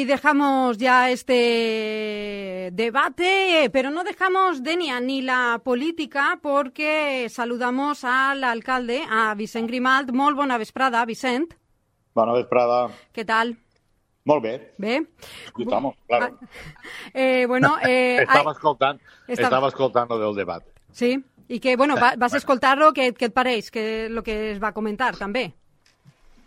dejamos ya este debate, pero no dejamos Dénia ni la política porque saludamos al alcalde, a Vicent Grimalt. Molt bona vesprada, Vicent. Bona vesprada. Què tal? Molt bé. Bé? Estamos, claro. Estava escoltant lo del debat. Sí? I que, vas escoltar-lo, què et pareix? El que es va comentar, també?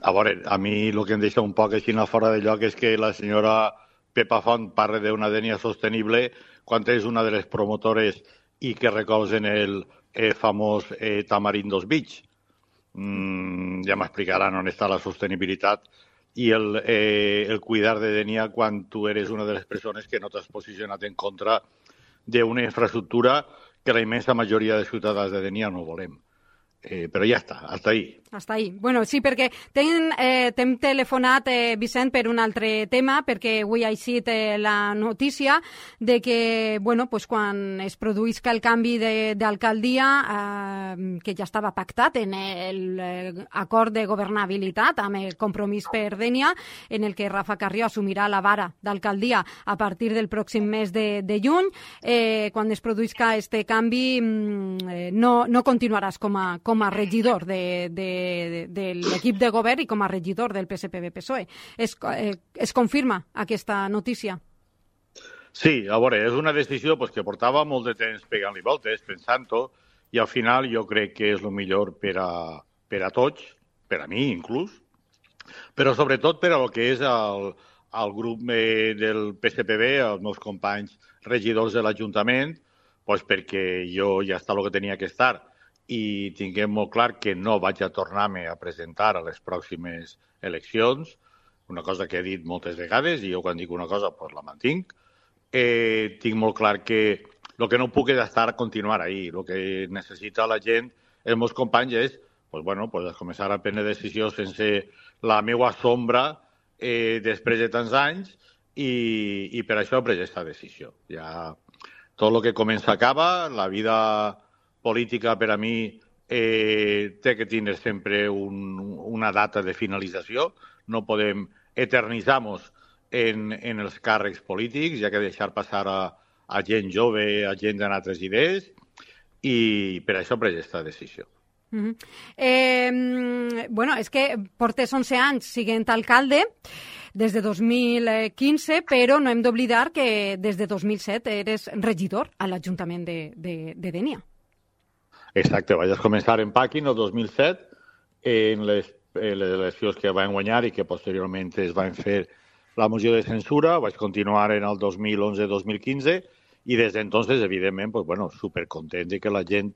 A veure, a mi el que em deixa un poc així fora de lloc és que la senyora Pepa Font parla d'una Dénia sostenible quan és una de les promotores i que recolzen el famós Tamarindos Beach. Ja m'explicaran on està la sostenibilitat i el cuidar de Dénia quan tu eres una de les persones que no t'has posicionat en contra d'una infraestructura que la immensa majoria de ciutadans de Dénia no volem. Però ja està, hasta ahí. Hasta ahí. Bueno, sí, perquè t'hem telefonat, Vicent, per un altre tema, perquè avui ha eixit la notícia de que, quan es produïsca el canvi d'alcaldia, que ja estava pactat en l'acord de governabilitat amb el Compromís per Dénia, en el que Rafa Carrió assumirà la vara d'alcaldia a partir del pròxim mes de juny. Quan es produïsca este canvi, no continuaràs com a regidor de l'equip de govern i com a regidor del PSPB-PSOE. Es confirma aquesta notícia? Sí, a veure, és una decisió que portava molt de temps pegant-li voltes, pensant-ho, i al final jo crec que és el millor per a tots, per a mi inclús, però sobretot per a lo que és el grup del PSPB, els meus companys regidors de l'Ajuntament, perquè jo ja està el que tenia que estar, i tinguem molt clar que no vaig a tornar-me a presentar a les pròximes eleccions, una cosa que he dit moltes vegades, i jo quan dic una cosa la mantinc. Tinc molt clar que el que no puc és estar a continuar ahí. El que necessita la gent, els meus companys, és començar a prendre decisions sense la meva sombra després de tants anys, i per això he pres aquesta decisió. Ja tot el que comença acaba, la vida política per a mi té que tindre sempre una data de finalització. No podem eternitzar-nos en els càrrecs polítics, hi ha que deixar passar a gent jove, a gent d'altres idees, i per això he pres aquesta decisió. És que portes 11 anys sent alcalde, des de 2015, però no hem d'oblidar que des de 2007 eres regidor a l'Ajuntament de Dénia. Exacte, vaig començar en Pàquin el 2007, en les eleccions que van guanyar i que posteriorment es van fer la moció de censura. Vaig continuar en el 2011-2015 i des d'entonces, evidentment, supercontent de que la gent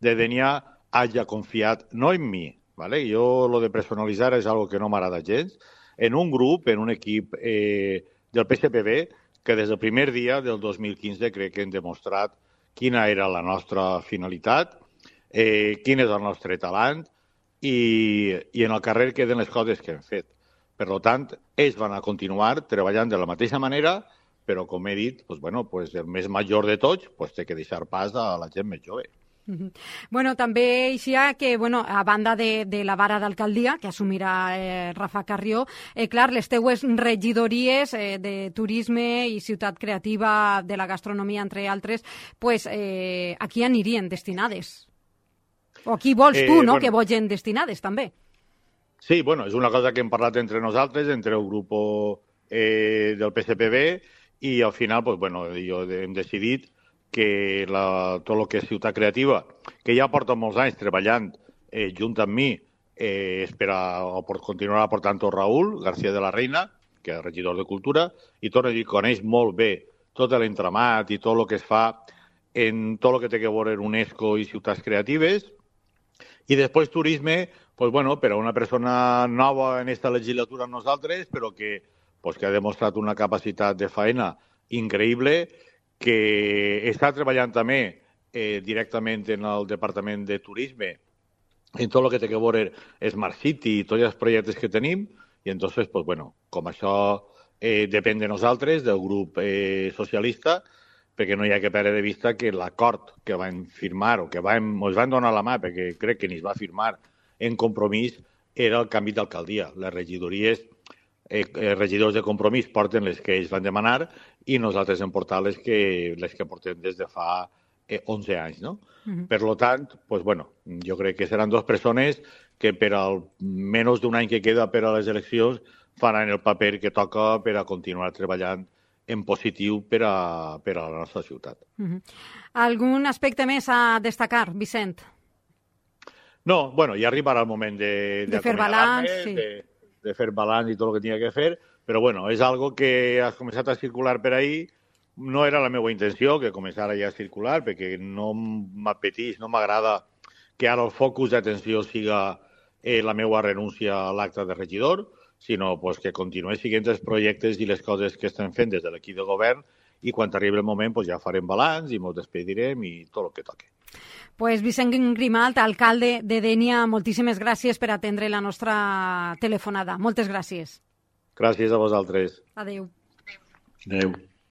de Dénia hagi confiat, no en mi, ¿vale? Jo lo de personalitzar és algo que no m'agrada gens, en un grup, en un equip del PSPB que des del primer dia del 2015 crec que hem demostrat quina era la nostra finalitat, quin és el nostre talent i en el carrer queden les coses que hem fet. Per tant, ells van a continuar treballant de la mateixa manera, però, com he dit, el més major de tots té que deixar pas a la gent més jove. També eixia que, a banda de la vara d'alcaldia, que assumirà Rafa Carrió, clar, les teues regidories de turisme i ciutat creativa, de la gastronomia, entre altres, a qui anirien destinades? O a qui vols tu, que vagin destinades, també? Sí, és una cosa que hem parlat entre nosaltres, entre el grup del PSPB, i al final, jo hem decidit que tot el que és ciutat creativa, que ja porta molts anys treballant junt amb mi, continuarà portant-ho Raül García de la Reina, que és regidor de Cultura, i torno a dir, coneix molt bé tot l'entramat i tot el que es fa en tot el que té que veure UNESCO i ciutats creatives. I després turisme, per a una persona nova en aquesta legislatura amb nosaltres, però que ha demostrat una capacitat de feina increïble, que està treballant també directament en el Departament de Turisme, en tot el que té que veure Smart City i tots els projectes que tenim, i entonces, com això depèn de nosaltres, del grup socialista, perquè no hi ha que perdre de vista que l'acord que vam firmar o que ens van donar la mà, perquè crec que ni es va firmar en Compromís, era el canvi d'alcaldia. Les regidories regidors de Compromís porten les que ells van demanar i nosaltres hem portat les que portem des de fa 11 anys, no? Per lo tant, pues bueno, jo crec que seran 2 persones que per al menys d'un any que queda per a les eleccions faran el paper que toca per a continuar treballant en positiu per a la nostra ciutat. Algun aspecte més a destacar, Vicent? No, bueno, ja arribarà el moment de fer balanç, sí. De fer balanç i tot el que tenia que fer, però bueno, és algo que has començat a circular per ahí. No era la meva intenció que començara ja a circular, perquè no m'apeteix, no m'agrada que ara el focus d'atenció siga la meva renúncia a l'acte de regidor, sinó pues, que continuï siguent els projectes i les coses que estem fent des de l'equip de govern i quan arribi el moment pues, ja farem balanç i ens despedirem i tot el que toqui. Pues Vicent Grimalt, alcalde de Dénia, moltíssimes gràcies per atendre la nostra telefonada. Moltes gràcies. Gràcies a vosaltres. Adéu. Adéu.